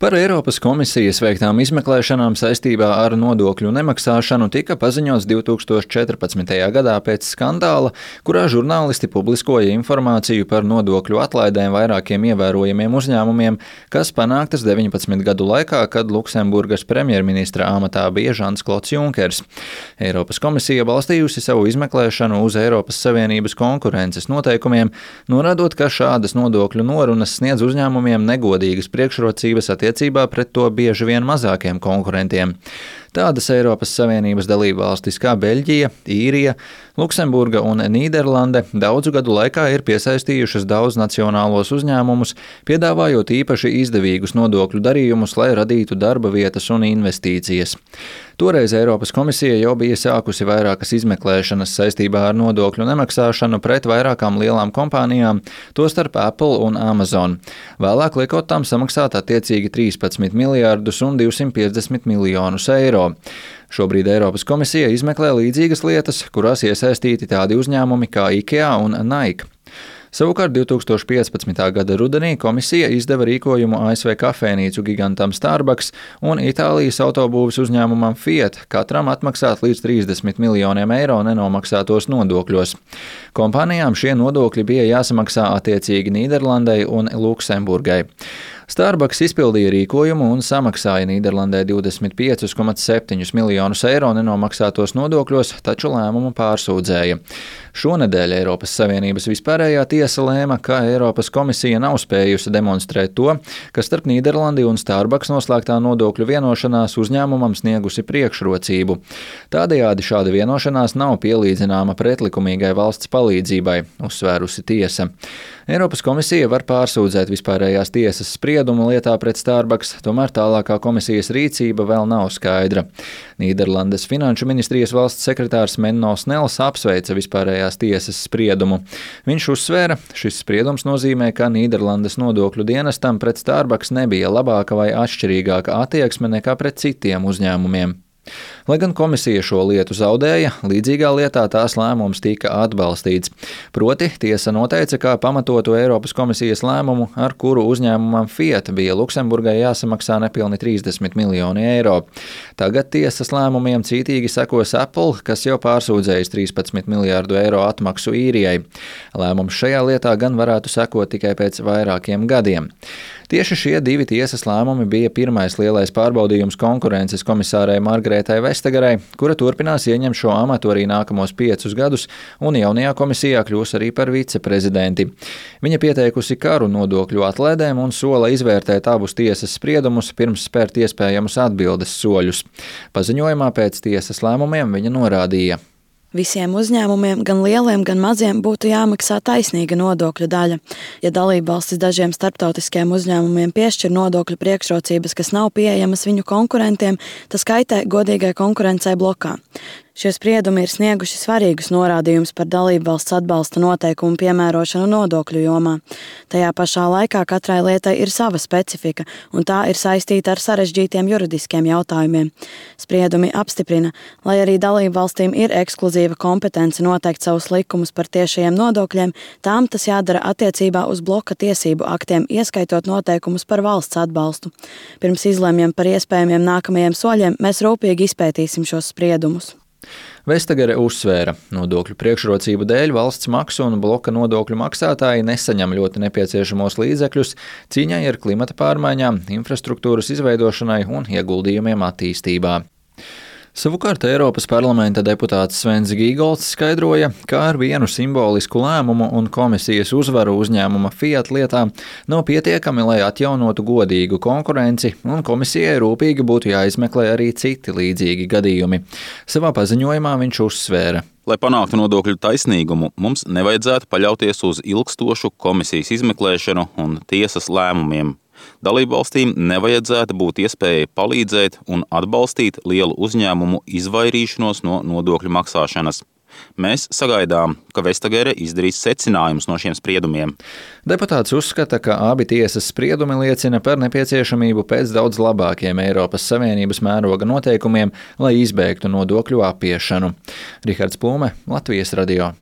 Par Eiropas komisijas veiktām izmeklēšanām saistībā ar nodokļu nemaksāšanu tika paziņots 2014. gadā pēc skandāla, kurā žurnālisti publiskoja informāciju par nodokļu atlaidēm vairākiem ievērojamiem uzņēmumiem, kas panāktas 19 gadu laikā, kad Luksemburgas premjerministra amatā bija Žans-Klods Junkers. Eiropas komisija balstījusi savu izmeklēšanu uz Eiropas Savienības konkurences noteikumiem, norādot, ka šādas nodokļu norunas sniedz uzņēmumiem negodīgas priekšrocības attiecībā pret to bieži vien mazākiem konkurentiem. Tādas Eiropas Savienības dalībvalstis kā Beļģija, Īrija, Luksemburga un Nīderlande daudzu gadu laikā ir piesaistījušas daudz nacionālos uzņēmumus, piedāvājot īpaši izdevīgus nodokļu darījumus, lai radītu darba vietas un investīcijas. Toreiz Eiropas komisija jau bija sākusi vairākas izmeklēšanas saistībā ar nodokļu nemaksāšanu pret vairākām lielām kompānijām, tostarp Apple un Amazon. Vēlāk liekot tām samaksāt attiecīgi 13 miljārdus un 250 miljonus eiro. Šobrīd Eiropas komisija izmeklē līdzīgas lietas, kurās iesaistīti tādi uzņēmumi kā IKEA un Nike. Savukārt 2015. gada rudenī komisija izdeva rīkojumu ASV kafejnīcu gigantam Starbucks un Itālijas autobūves uzņēmumam Fiat katram atmaksāt līdz 30 miljoniem eiro nenomaksātos nodokļos. Kompānijām šie nodokļi bija jāsamaksā attiecīgi Nīderlandei un Luksemburgai. Starbucks izpildīja rīkojumu un samaksāja Nīderlandē 25,7 miljonus eiro nenomaksātos nodokļos, taču lēmumu pārsūdzēja. Šonedēļ Eiropas Savienības vispārējā tiesa lēma, ka Eiropas komisija nav spējusi demonstrēt to, ka starp Nīderlandi un Starbucks noslēgtā nodokļu vienošanās uzņēmumam sniegusi priekšrocību. Tādējādi šāda vienošanās nav pielīdzināma pretlikumīgai valsts palīdzībai, uzsvērusi tiesa. Eiropas komisija var pārsūdzēt vispārējās tiesas spriedumu lietā pret Starbucks, tomēr tālākā komisijas rīcība vēl nav skaidra. Nīderlandes finanšu ministrijas valsts sekretārs Menno Snels apsveica vispārējās tiesas spriedumu. Viņš uzsvēra, šis spriedums nozīmē, ka Nīderlandes nodokļu dienestam pret Starbucks nebija labāka vai atšķirīgāka attieksme nekā pret citiem uzņēmumiem. Lai gan komisija šo lietu zaudēja, līdzīgā lietā tās lēmums tika atbalstīts. Proti, tiesa noteica, ka pamatotu Eiropas komisijas lēmumu, ar kuru uzņēmumam Fiat bija Luksemburgai jāsamaksā nepilni 30 miljoni eiro. Tagad tiesas lēmumiem cītīgi sekos Apple, kas jau pārsūdzējis 13 miljārdu eiro atmaksu Īrijai. Lēmums šajā lietā gan varētu sekot tikai pēc vairākiem gadiem. Tieši šie divi tiesas lēmumi bija pirmais lielais pārbaudījums konkurences komisārai Margaretai Vestagerai, kura turpinās ieņemt šo amatu arī nākamos 5 gadus un jaunajā komisijā kļūs arī par viceprezidenti. Viņa pieteikusi karu nodokļu atlaidēm un sola izvērtēt abus tiesas spriedumus pirms spērt iespējamus atbildes soļus. Paziņojumā pēc tiesas lēmumiem viņa norādīja: Visiem uzņēmumiem, gan lieliem, gan maziem, būtu jāmaksā taisnīga nodokļu daļa. Ja dalībvalstis dažiem starptautiskiem uzņēmumiem piešķir nodokļu priekšrocības, kas nav pieejamas viņu konkurentiem, tas kaitē godīgai konkurencei blokā. Šie spriedumi ir snieguši svarīgus norādījumus par dalībvalsts atbalsta noteikumu piemērošanu nodokļu jomā. Tajā pašā laikā katrai lietai ir sava specifika, un tā ir saistīta ar sarežģītiem juridiskiem jautājumiem. Spriedumi apstiprina, lai arī dalībvalstīm ir ekskluzīva kompetence noteikt savus likumus par tiešajiem nodokļiem, tām tas jādara attiecībā uz bloka tiesību aktiem, ieskaitot noteikumus par valsts atbalstu. Pirms izlemjam par iespējamiem nākamajiem soļiem, mēs rūpīgi izpētīsim šos spriedumus. Vestagere uzsvēra, nodokļu priekšrocību dēļ valsts maksu un bloka nodokļu maksātāji nesaņem ļoti nepieciešamos līdzekļus cīņai ar klimata pārmaiņām, infrastruktūras izveidošanai un ieguldījumiem attīstībā. Savukārt Eiropas parlamenta deputāts Svens Gīgolds skaidroja, ka ar vienu simbolisku lēmumu un komisijas uzvaru uzņēmuma Fiat lietā nav pietiekami, lai atjaunotu godīgu konkurenci, un komisijai rūpīgi būtu jāizmeklē arī citi līdzīgi gadījumi. Savā paziņojumā viņš uzsvēra: Lai panāktu nodokļu taisnīgumu, mums nevajadzētu paļauties uz ilgstošu komisijas izmeklēšanu un tiesas lēmumiem. Dalībvalstīm nevajadzētu būt iespējai palīdzēt un atbalstīt lielu uzņēmumu izvairīšanos no nodokļu maksāšanas. Mēs sagaidām, ka Vestagere izdarīs secinājumus no šiem spriedumiem. Deputāts uzskata, ka abi tiesas spriedumi liecina par nepieciešamību pēc daudz labākiem Eiropas Savienības mēroga noteikumiem, lai izbēgtu nodokļu apiešanu. Rihards Plūme, Latvijas radio.